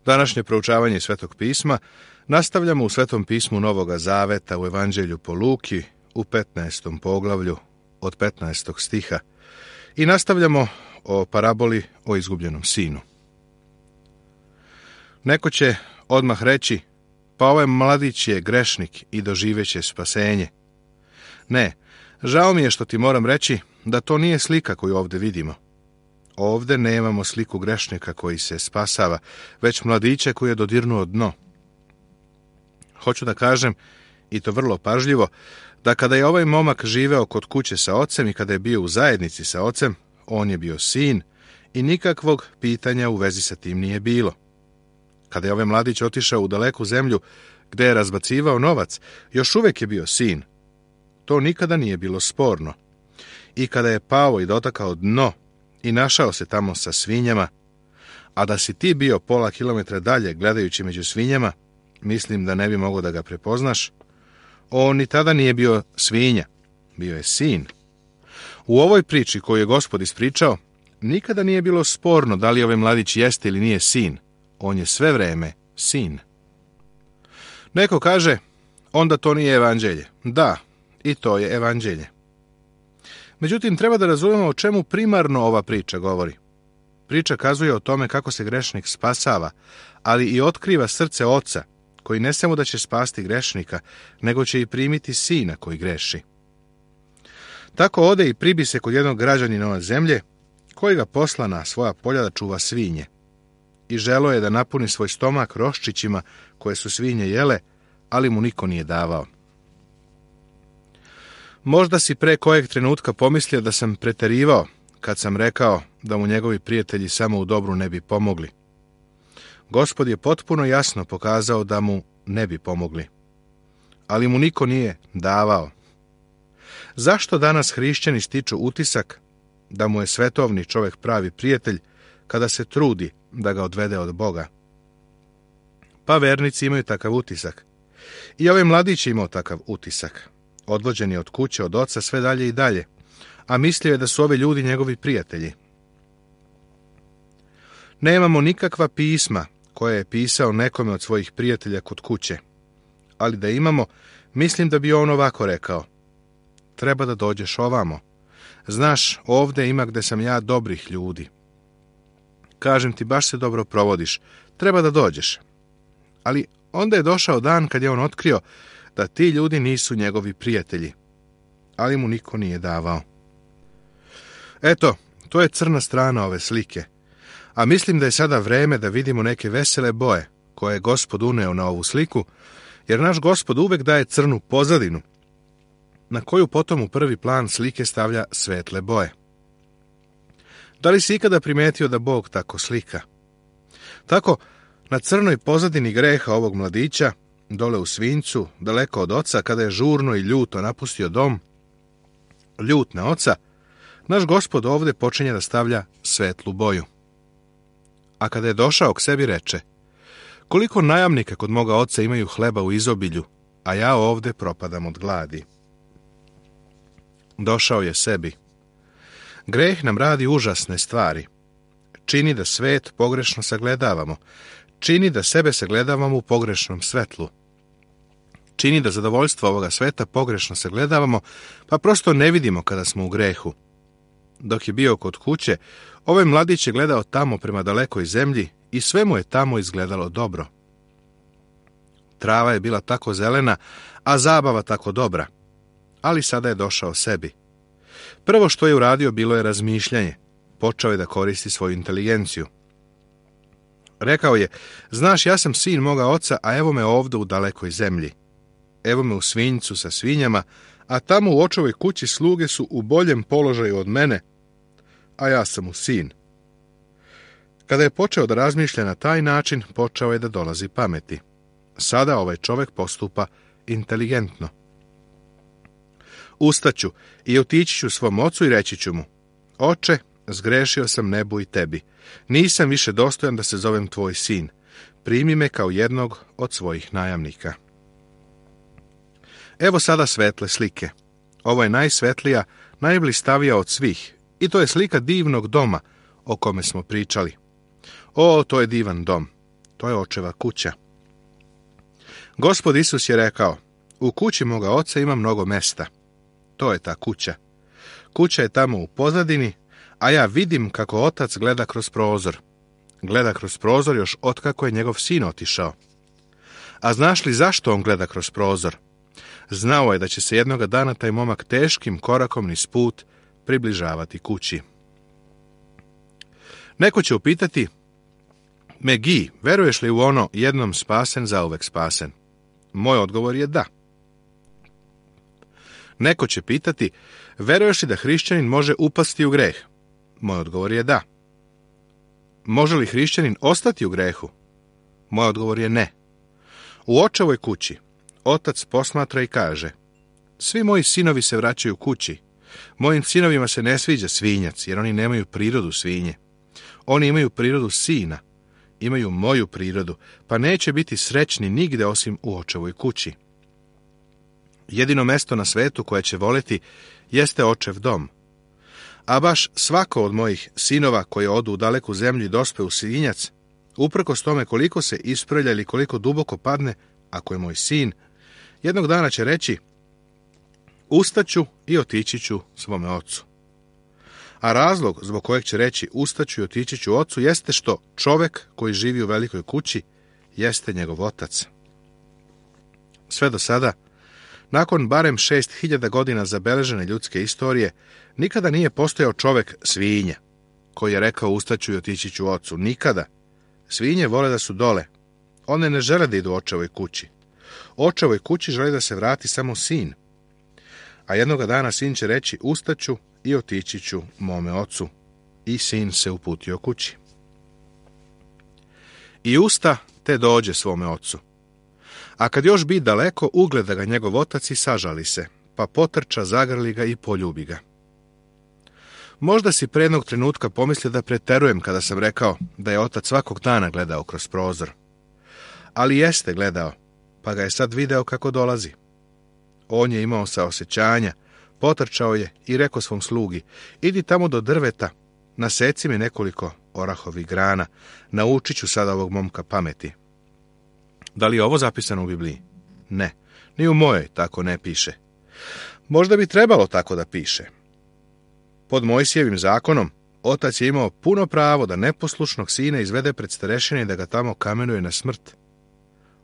Današnje proučavanje Svetog pisma nastavljamo u Svetom pismu Novoga Zaveta u Evanđelju po Luki u 15. poglavlju od 15. stiha i nastavljamo o paraboli o izgubljenom sinu. Neko će odmah reći, pa ovaj mladić je grešnik i doživeće spasenje. Ne, žao mi je što ti moram reći da to nije slika koju ovdje vidimo. Ovdje nemamo sliku grešnika koji se spasava, već mladića koji je dodirnuo dno. Hoću da kažem, i to vrlo pažljivo, da kada je ovaj momak živeo kod kuće sa ocem i kada je bio u zajednici sa ocem, on je bio sin i nikakvog pitanja u vezi sa tim nije bilo. Kada je ovaj mladić otišao u daleku zemlju gdje je razbacivao novac, još uvijek je bio sin. To nikada nije bilo sporno. I kada je pao i dotakao dno i našao se tamo sa svinjama, a da si ti bio pola kilometra dalje gledajući među svinjama, mislim da ne bi mogao da ga prepoznaš. On ni tada nije bio svinja, bio je sin. U ovoj priči koju je Gospod ispričao, nikada nije bilo sporno da li ovaj mladić jeste ili nije sin. On je sve vreme sin. Neko kaže, onda to nije evanđelje. Da, i to je evanđelje. Međutim, treba da razumemo o čemu primarno ova priča govori. Priča kazuje o tome kako se grešnik spasava, ali i otkriva srce oca, koji ne samo da će spasti grešnika, nego će i primiti sina koji greši. Tako ode i pribi se kod jednog građanina zemlje, koji ga posla na svoja polja da čuva svinje. I želo je da napuni svoj stomak roščićima koje su svinje jele, ali mu niko nije davao. Možda si pre kojeg trenutka pomislio da sam preterivao kad sam rekao da mu njegovi prijatelji samo u dobru ne bi pomogli. Gospod je potpuno jasno pokazao da mu ne bi pomogli, ali mu niko nije davao. Zašto danas hrišćani stiču utisak da mu je svetovni čovjek pravi prijatelj kada se trudi da ga odvede od Boga? Pa vernici imaju takav utisak. I ovaj mladić je imao takav utisak. Odvođen je od kuće, od oca, sve dalje i dalje, a mislio je da su ovi ljudi njegovi prijatelji. Nemamo nikakva pisma koje je pisao nekome od svojih prijatelja kod kuće, ali da imamo, mislim da bi on ovako rekao. Treba da dođeš ovamo. Znaš, ovdje ima gde sam ja dobrih ljudi. Kažem ti, baš se dobro provodiš. Treba da dođeš. Ali onda je došao dan kad je on otkrio da ti ljudi nisu njegovi prijatelji. Ali mu niko nije davao. Eto, to je crna strana ove slike. A mislim da je sada vreme da vidimo neke vesele boje koje je Gospod uneo na ovu sliku, jer naš Gospod uvek daje crnu pozadinu, na koju potom u prvi plan slike stavlja svetle boje. Da li si ikada primetio da Bog tako slika? Tako, na crnoj pozadini greha ovog mladića, dole u svinjcu, daleko od oca, kada je žurno i ljuto napustio dom, ljut na oca, naš Gospod ovdje počinje da stavlja svetlu boju. A kada je došao k sebi reče, koliko najamnika kod moga oca imaju hleba u izobilju, a ja ovdje propadam od gladi. Došao je sebi. Greh nam radi užasne stvari. Čini da svet pogrešno sagledavamo. Čini da sebe sagledavamo u pogrešnom svetlu. Čini da zadovoljstvo ovoga sveta pogrešno sagledavamo, pa prosto ne vidimo kada smo u grehu. Dok je bio kod kuće, ovaj mladić je gledao tamo prema dalekoj zemlji i sve mu je tamo izgledalo dobro. Trava je bila tako zelena, a zabava tako dobra. Ali sada je došao sebi. Prvo što je uradio bilo je razmišljanje. Počeo je da koristi svoju inteligenciju. Rekao je, znaš, ja sam sin moga oca, a evo me ovdje u dalekoj zemlji. Evo me u svinjcu sa svinjama, a tamo u očovoj kući sluge su u boljem položaju od mene, a ja sam mu sin. Kada je počeo da razmišlja na taj način, počeo je da dolazi pameti. Sada ovaj čovjek postupa inteligentno. Ustaću i otići ću svom ocu i reći ću mu, oče, zgrešio sam nebu i tebi. Nisam više dostojan da se zovem tvoj sin. Primi me kao jednog od svojih najamnika. Evo sada svetle slike. Ovo je najsvetlija, najblistavija od svih. I to je slika divnog doma o kome smo pričali. O, to je divan dom. To je očeva kuća. Gospod Isus je rekao, u kući moga oca ima mnogo mesta. To je ta kuća. Kuća je tamo u pozadini, a ja vidim kako otac gleda kroz prozor. Gleda kroz prozor još otkako je njegov sin otišao. A znaš li zašto on gleda kroz prozor? Znao je da će se jednoga dana taj momak teškim korakom niz put približavati kući. Neko će upitati, Megi, veruješ li u ono jednom spasen, zauvek spasen? Moj odgovor je da. Neko će pitati, veruješ li da hrišćanin može upasti u greh? Moj odgovor je da. Može li hrišćanin ostati u grehu? Moj odgovor je ne. U očevoj kući otac posmatra i kaže, svi moji sinovi se vraćaju kući. Mojim sinovima se ne sviđa svinjac, jer oni nemaju prirodu svinje. Oni imaju prirodu sina, imaju moju prirodu, pa neće biti srećni nigde osim u očevoj kući. Jedino mesto na svetu koje će voleti jeste očev dom. A baš svako od mojih sinova koji odu u daleku zemlju i dospe u svinjac, uprkos tome koliko se isprlja ili koliko duboko padne, ako je moj sin, jednog dana će reći, ustaću i otići ću svome ocu. A razlog zbog kojeg će reći ustaću i otići ću ocu jeste što čovek koji živi u velikoj kući jeste njegov otac. Sve do sada, nakon barem 6000 godina zabeležene ljudske istorije, nikada nije postojao čovek svinja koji je rekao ustaću i otići ću ocu. Nikada. Svinje vole da su dole. One ne žele da idu očevoj kući. Očevoj kući želi da se vrati samo sin. A jednoga dana sin će reći ustaću i otići ću mome ocu. I sin se uputio kući. I usta te dođe svome ocu. A kad još bi daleko, ugleda ga njegov otac i sažali se, pa potrča, zagrli ga i poljubi ga. Možda si pre jednog trenutka pomislio da preterujem kada sam rekao da je otac svakog dana gledao kroz prozor. Ali jeste gledao, pa ga je sad video kako dolazi. On je imao saosećanja, potrčao je i rekao svom slugi, idi tamo do drveta, naseci mi nekoliko orahovih grana, naučit ću sada ovog momka pameti. Da li je ovo zapisano u Bibliji? Ne, ni u mojoj tako ne piše. Možda bi trebalo tako da piše. Pod Mojsijevim zakonom, otac je imao puno pravo da neposlušnog sina izvede pred starešine i da ga tamo kamenuje na smrt.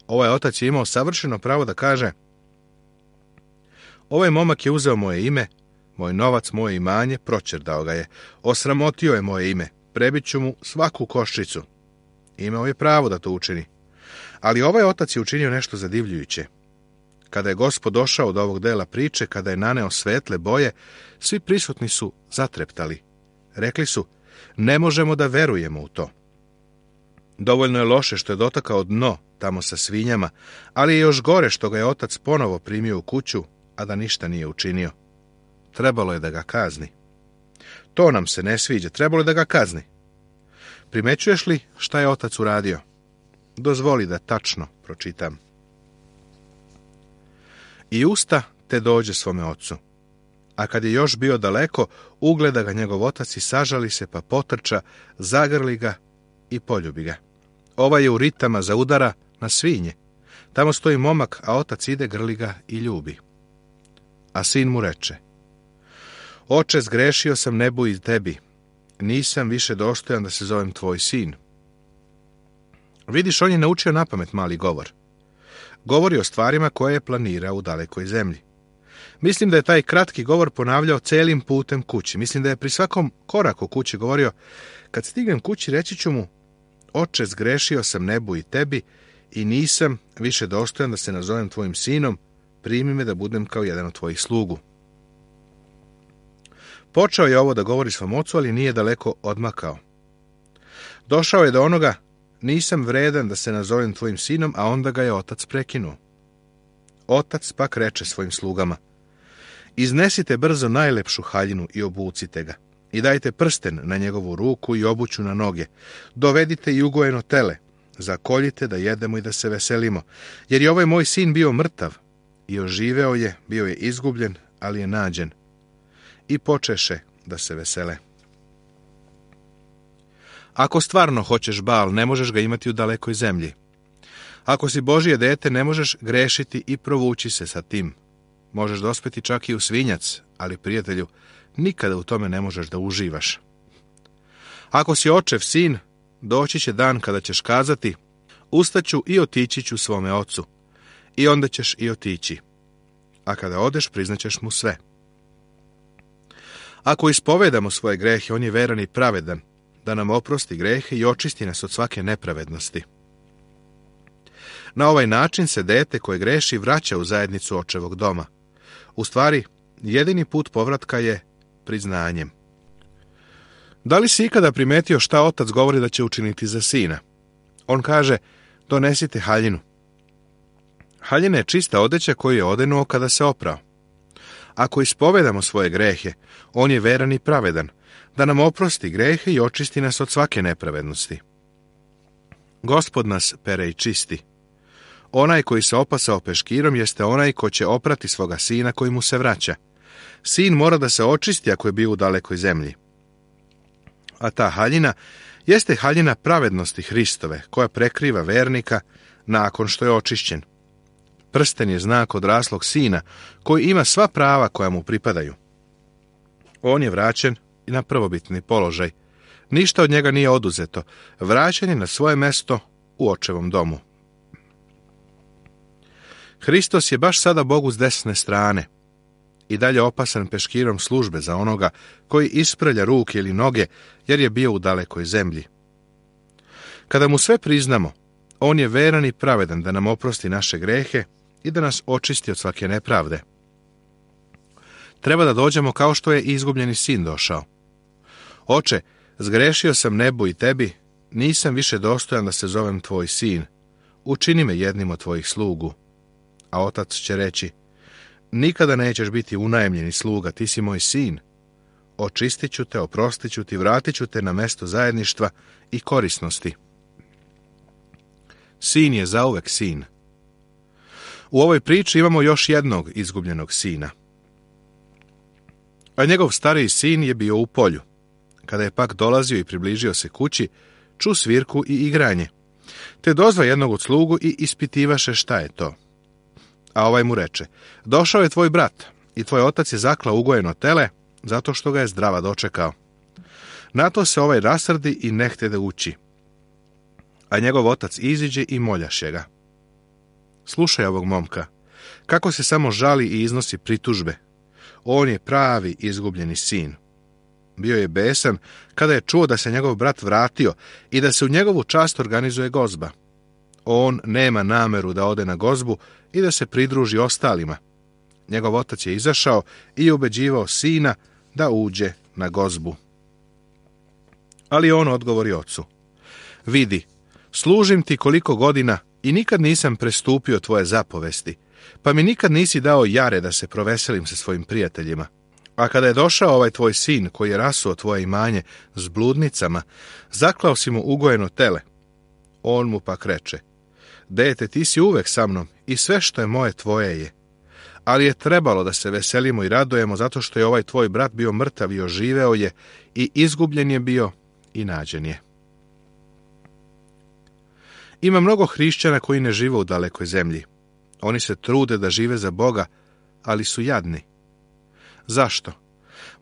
Ovaj otac je imao savršeno pravo da kaže, ovaj momak je uzeo moje ime, moj novac, moje imanje, proćerdao ga je, osramotio je moje ime, prebit ću mu svaku koščicu. Imao je pravo da to učini. Ali ovaj otac je učinio nešto zadivljujuće. Kada je Gospod došao do ovog dela priče, kada je naneo svetle boje, svi prisutni su zatreptali. Rekli su, ne možemo da verujemo u to. Dovoljno je loše što je dotakao dno tamo sa svinjama, ali je još gore što ga je otac ponovo primio u kuću, a da ništa nije učinio. Trebalo je da ga kazni. To nam se ne sviđa, trebalo je da ga kazni. Primećuješ li šta je otac uradio? Dozvoli da tačno pročitam. I usta te dođe svome ocu. A kad je još bio daleko, ugleda ga njegov otac i sažali se, pa potrča, zagrli ga i poljubi ga. Ovaj je u ritama za udara na svinje. Tamo stoji momak, a otac ide, grli ga i ljubi. A sin mu reče, oče, zgrešio sam nebu i tebi. Nisam više dostojan da se zovem tvoj sin. Vidiš, on je naučio napamet mali govor. Govori o stvarima koje je planirao u dalekoj zemlji. Mislim da je taj kratki govor ponavljao celim putem kući. Mislim da je pri svakom koraku kući govorio, kad stignem kući reći ću mu, oče, zgrešio sam nebu i tebi i nisam više dostojan da se nazovem tvojim sinom, primi me da budem kao jedan od tvojih slugu. Počeo je ovo da govori svom ocu, ali nije daleko odmakao. Došao je do onoga, nisam vredan da se nazovem tvojim sinom, a onda ga je otac prekinuo. Otac pak reče svojim slugama, iznesite brzo najlepšu haljinu i obucite ga, i dajte prsten na njegovu ruku i obuću na noge, dovedite i ugojeno tele, zakoljite da jedemo i da se veselimo, jer je ovaj moj sin bio mrtav, i oživeo je, bio je izgubljen, ali je nađen. I počeše da se vesele. Ako stvarno hoćeš bal, ne možeš ga imati u dalekoj zemlji. Ako si Božje dete, ne možeš grešiti i provući se sa tim. Možeš dospeti čak i u svinjac, ali, prijatelju, nikada u tome ne možeš da uživaš. Ako si očev sin, doći će dan kada ćeš kazati: ustaću i otići ću svome ocu. I onda ćeš i otići. A kada odeš, priznaćeš mu sve. Ako ispovedamo svoje grehe, on je veran i pravedan, da nam oprosti grehe i očisti nas od svake nepravednosti. Na ovaj način se dete koje greši vraća u zajednicu očevog doma. U stvari, jedini put povratka je priznanjem. Da li si ikada primetio šta otac govori da će učiniti za sina? On kaže: donesite haljinu. Haljina je čista odeća koju je odenuo kada se oprao. Ako ispovedamo svoje grehe, on je veran i pravedan, da nam oprosti grehe i očisti nas od svake nepravednosti. Gospod nas pere i čisti. Onaj koji se opasao peškirom jeste onaj ko će oprati svoga sina koji mu se vraća. Sin mora da se očisti ako je bio u dalekoj zemlji. A ta haljina jeste haljina pravednosti Hristove, koja prekriva vernika nakon što je očišćen. Prsten je znak odraslog sina, koji ima sva prava koja mu pripadaju. On je vraćen i na prvobitni položaj. Ništa od njega nije oduzeto. Vraćen je na svoje mesto u očevom domu. Hristos je baš sada Bogu s desne strane i dalje opasan peškirom službe za onoga koji isprlja ruke ili noge, jer je bio u dalekoj zemlji. Kada mu sve priznamo, on je veran i pravedan da nam oprosti naše grehe i da nas očisti od svake nepravde. Treba da dođemo kao što je izgubljeni sin došao. Oče, zgrešio sam nebu i tebi, nisam više dostojan da se zovem tvoj sin. Učini me jednim od tvojih slugu. A otac će reći: nikada nećeš biti unajmljeni sluga, ti si moj sin. Očistit ću te, oprostit ću ti, vratit ću te na mesto zajedništva i korisnosti. Sin je zauvek sin. U ovoj priči imamo još jednog izgubljenog sina. A njegov stariji sin je bio u polju. Kada je pak dolazio i približio se kući, ču svirku i igranje, te dozva jednog od slugu i ispitivaše šta je to. A ovaj mu reče: došao je tvoj brat i tvoj otac je zaklao ugojeno tele, zato što ga je zdrava dočekao. Na to se ovaj rasrdi i ne htede ući. A njegov otac iziđe i moljaše ga. Slušaj ovog momka, kako se samo žali i iznosi pritužbe. On je pravi izgubljeni sin. Bio je besan kada je čuo da se njegov brat vratio i da se u njegovu čast organizuje gozba. On nema nameru da ode na gozbu i da se pridruži ostalima. Njegov otac je izašao i ubeđivao sina da uđe na gozbu. Ali on odgovori ocu: vidi, služim ti koliko godina i nikad nisam prestupio tvoje zapovesti, pa mi nikad nisi dao jare da se proveselim sa svojim prijateljima. A kada je došao ovaj tvoj sin koji je rasuo tvoje imanje s bludnicama, zaklao si mu ugojeno tele. On mu pak reče: dete, ti si uvek sa mnom i sve što je moje tvoje je. Ali je trebalo da se veselimo i radujemo zato što je ovaj tvoj brat bio mrtav i oživeo je, i izgubljen je bio i nađen je. Ima mnogo hrišćana koji ne žive u dalekoj zemlji. Oni se trude da žive za Boga, ali su jadni. Zašto?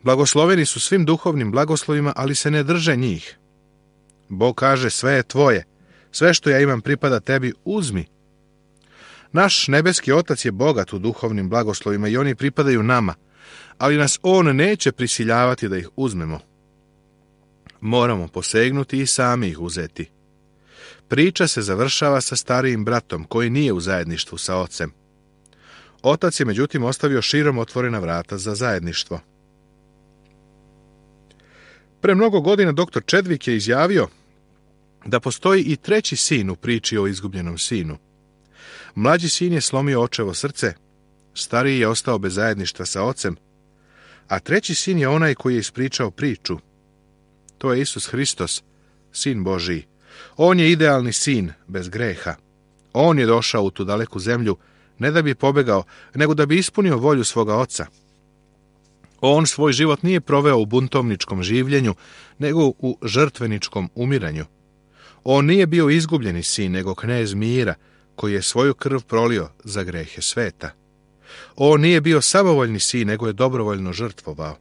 Blagosloveni su svim duhovnim blagoslovima, ali se ne drže njih. Bog kaže: sve je tvoje, sve što ja imam pripada tebi, uzmi. Naš nebeski Otac je bogat u duhovnim blagoslovima i oni pripadaju nama, ali nas On neće prisiljavati da ih uzmemo. Moramo posegnuti i sami ih uzeti. Priča se završava sa starijim bratom koji nije u zajedništvu sa ocem. Otac je međutim ostavio širom otvorena vrata za zajedništvo. Pre mnogo godina dr. Chadwick je izjavio da postoji i treći sin u priči o izgubljenom sinu. Mlađi sin je slomio očevo srce, stariji je ostao bez zajedništva sa ocem, a treći sin je onaj koji je ispričao priču. To je Isus Hristos, sin Božiji. On je idealni sin, bez greha. On je došao u tu daleku zemlju, ne da bi pobegao, nego da bi ispunio volju svoga oca. On svoj život nije proveo u buntovničkom življenju, nego u žrtveničkom umiranju. On nije bio izgubljeni sin, nego knez mira, koji je svoju krv prolio za grehe sveta. On nije bio samovoljni sin, nego je dobrovoljno žrtvovao.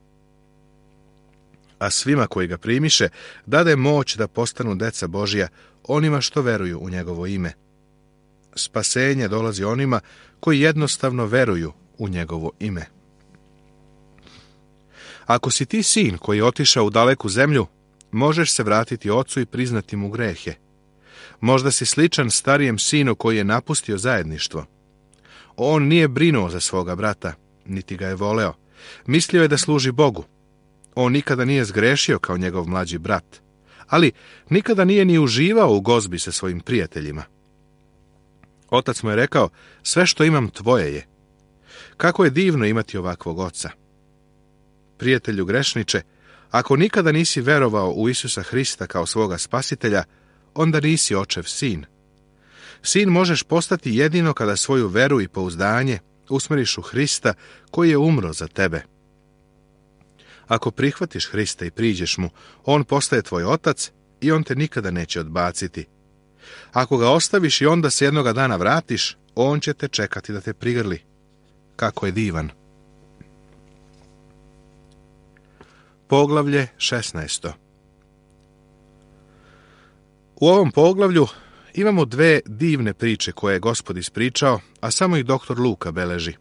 A svima koji ga primiše, dade moć da postanu deca Božja, onima što veruju u njegovo ime. Spasenje dolazi onima koji jednostavno veruju u njegovo ime. Ako si ti sin koji je otišao u daleku zemlju, možeš se vratiti ocu i priznati mu grehe. Možda si sličan starijem sinu koji je napustio zajedništvo. On nije brinuo za svoga brata, niti ga je voleo. Mislio je da služi Bogu. On nikada nije zgrešio kao njegov mlađi brat, ali nikada nije ni uživao u gozbi sa svojim prijateljima. Otac mu je rekao, sve što imam tvoje je. Kako je divno imati ovakvog oca. Prijatelju grešniče, ako nikada nisi verovao u Isusa Hrista kao svoga spasitelja, onda nisi očev sin. Sin možeš postati jedino kada svoju veru i pouzdanje usmeriš u Hrista koji je umro za tebe. Ako prihvatiš Hrista i priđeš mu, on postaje tvoj otac i on te nikada neće odbaciti. Ako ga ostaviš i onda se jednoga dana vratiš, on će te čekati da te prigrli. Kako je divan. Poglavlje 16. U ovom poglavlju imamo dve divne priče koje je Gospod ispričao, a samo ih doktor Luka beleži.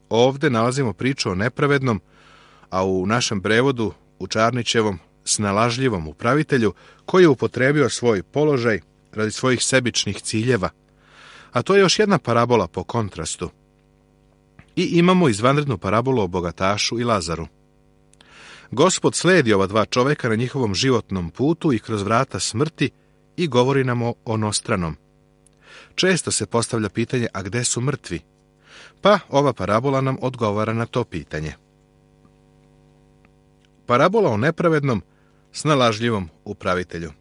Ovde nalazimo priču o nepravednom, a u našem prevodu, u Čarnićevom, snalažljivom upravitelju, koji je upotrebio svoj položaj radi svojih sebičnih ciljeva. A to je još jedna parabola po kontrastu. I imamo izvanrednu parabolu o bogatašu i Lazaru. Gospod sledi ova dva čoveka na njihovom životnom putu i kroz vrata smrti i govori nam o onostranom. Često se postavlja pitanje, a gde su mrtvi? Pa ova parabola nam odgovara na to pitanje. Parabola o nepravednom, snalažljivom upravitelju.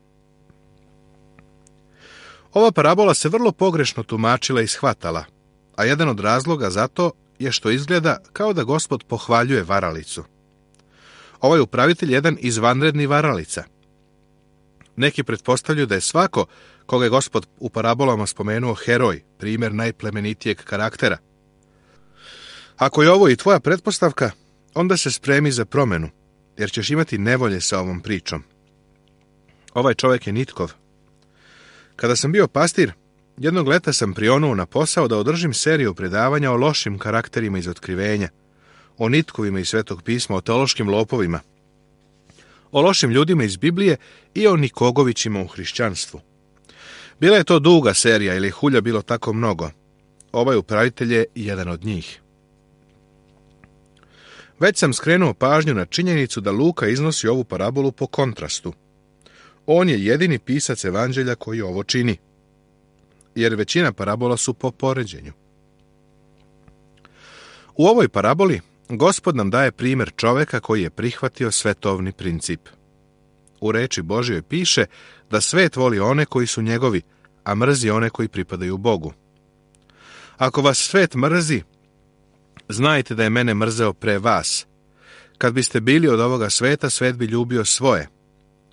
Ova parabola se vrlo pogrešno tumačila i shvatala, a jedan od razloga za to je što izgleda kao da Gospod pohvaljuje varalicu. Ovaj upravitelj je jedan izvanredni varalica. Neki pretpostavljaju da je svako koga je Gospod u parabolama spomenuo heroj, primjer najplemenitijeg karaktera. Ako je ovo i tvoja pretpostavka, onda se spremi za promenu, jer ćeš imati nevolje sa ovom pričom. Ovaj čovjek je nitkov. Kada sam bio pastir, jednog leta sam prionuo na posao da održim seriju predavanja o lošim karakterima iz otkrivenja, o nitkovima iz Svetog pisma, o teološkim lopovima, o lošim ljudima iz Biblije i o nikogovićima u hrišćanstvu. Bila je to duga serija, ili je hulja bilo tako mnogo. Ovaj upravitelj je jedan od njih. Već sam skrenuo pažnju na činjenicu da Luka iznosi ovu parabolu po kontrastu. On je jedini pisac evanđelja koji ovo čini, jer većina parabola su po poređenju. U ovoj paraboli Gospod nam daje primjer čoveka koji je prihvatio svetovni princip. U reči Božjoj piše da svet voli one koji su njegovi, a mrzi one koji pripadaju Bogu. Ako vas svet mrzi, znajte da je mene mrzeo pre vas. Kad biste bili od ovoga sveta, svet bi ljubio svoje.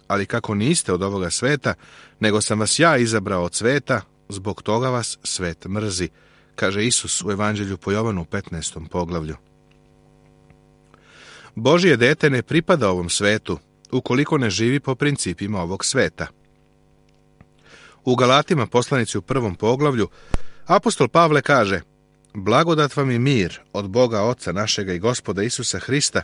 Ali kako niste od ovoga sveta, nego sam vas ja izabrao od sveta, zbog toga vas svet mrzi, kaže Isus u Evanđelju po Jovanu 15. poglavlju. Božje dete ne pripada ovom svetu, ukoliko ne živi po principima ovog sveta. U Galatima, poslanici u 1. poglavlju, apostol Pavle kaže: blagodat vam i mir od Boga Oca našega i Gospoda Isusa Hrista,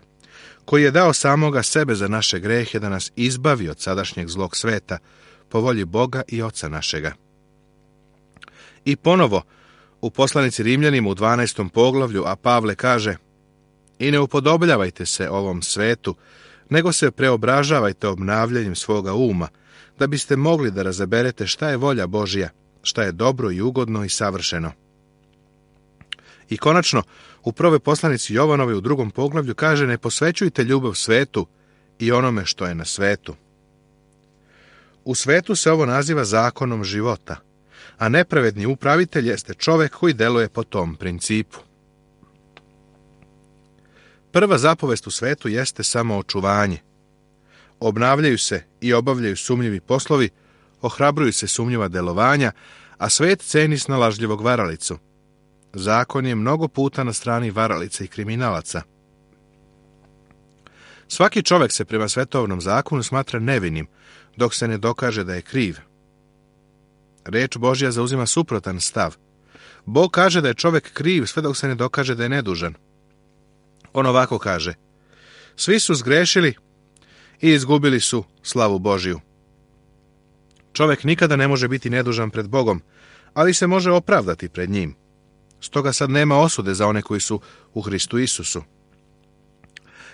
koji je dao samoga sebe za naše grehe da nas izbavi od sadašnjeg zlog sveta, po volji Boga i Oca našega. I ponovo, u poslanici Rimljanima u 12. poglavlju, a Pavle kaže: i ne upodobljavajte se ovom svetu, nego se preobražavajte obnavljanjem svoga uma, da biste mogli da razaberete šta je volja Božja, šta je dobro i ugodno i savršeno. I konačno, u prvoj poslanici Jovanove u 2. poglavlju kaže: ne posvećujte ljubav svetu i onome što je na svetu. U svetu se ovo naziva zakonom života, a nepravedni upravitelj jeste čovek koji deluje po tom principu. Prva zapovest u svetu jeste samo očuvanje. Obnavljaju se i obavljaju sumnjivi poslovi, ohrabruju se sumnjiva delovanja, a svet ceni snalažljivog varalicu. Zakon je mnogo puta na strani varalica i kriminalaca. Svaki čovjek se prema svetovnom zakonu smatra nevinim, dok se ne dokaže da je kriv. Reč Božja zauzima suprotan stav. Bog kaže da je čovjek kriv sve dok se ne dokaže da je nedužan. On ovako kaže: svi su zgrešili i izgubili su slavu Božju. Čovjek nikada ne može biti nedužan pred Bogom, ali se može opravdati pred njim. Stoga sad nema osude za one koji su u Hristu Isusu.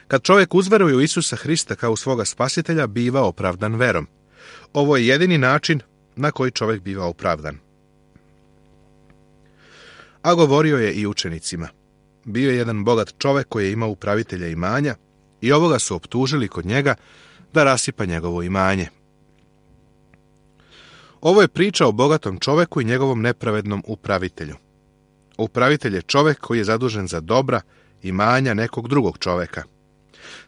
Kad čovjek uzveruje u Isusa Hrista kao svoga spasitelja, biva opravdan verom. Ovo je jedini način na koji čovjek biva opravdan. A govorio je i učenicima. Bio je jedan bogat čovjek koji je imao upravitelja imanja i ovoga su optužili kod njega da rasipa njegovo imanje. Ovo je priča o bogatom čovjeku i njegovom nepravednom upravitelju. Upravitelj je čovjek koji je zadužen za dobra imanja nekog drugog čovjeka.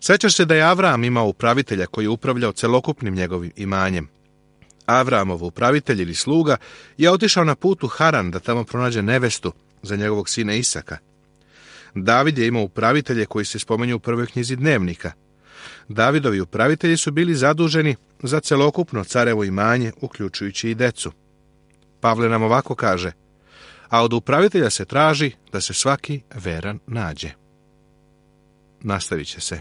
Sjećaš se da je Avram imao upravitelja koji je upravljao celokupnim njegovim imanjem. Avramov upravitelj ili sluga je otišao na put u Haran da tamo pronađe nevestu za njegovog sina Isaka. David je imao upravitelje koji se spominju u prvoj knjizi Dnevnika. Davidovi upravitelji su bili zaduženi za celokupno carevo imanje, uključujući i decu. Pavle nam ovako kaže: a od upravitelja se traži da se svaki veran nađe. Nastavit će se.